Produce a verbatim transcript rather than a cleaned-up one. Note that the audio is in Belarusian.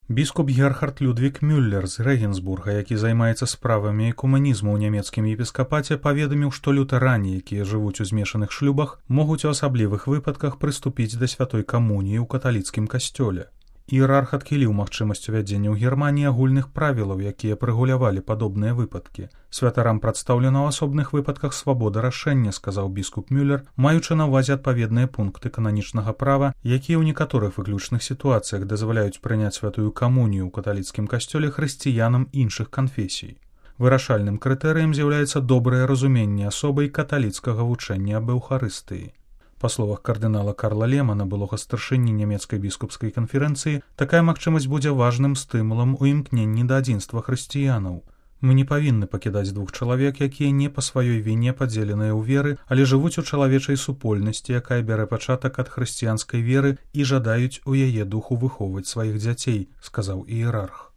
Біскуп Герхард Людвік Мюллер з Рэгенсбурга, які займаецца справамі экуманізму ў нямецкім епіскапаце, паведаміў, што лютэране, якія жывуць у змешаных шлюбах, могуць у асаблівых выпадках прыступіць да святой камуніі ў каталіцкім касцёле. Іерарх адхіліў магчымасць увядзення ў Германіі агульных правілаў, якія прэгулявалі падобныя выпадкі. Святарам прадстаўлена ў асобных выпадках свабода рашэння, сказаў біскуп Мюллер, маючы на ўвазе адпаведныя пункты кананічнага права, якія ў некаторых выключных сітуацыях дазваляюць прыняць святую камунію ў каталіцкім касцёле хрысціянам іншых канфесій. Вырашальным крытэрыем з'яўляецца добрае разуменне асобай каталіцкага вучэння аб эўхарыстыі. Па словах кардынала Карла Лемана, былога старшыні нямецкай біскупскай канферэнцыі, такая магчымасць будзе важным стымулам у імкненні да адзінства хрысціянаў. Мы не павінны пакідаць двух чалавек, якія не па сваёй віне падзеленыя ў веры, але жывуць у чалавечай супольнасці, якая бярэ пачатак ад хрысціянскай веры і жадаюць у яе духу выхоўваць сваіх дзяцей, сказаў іерарх.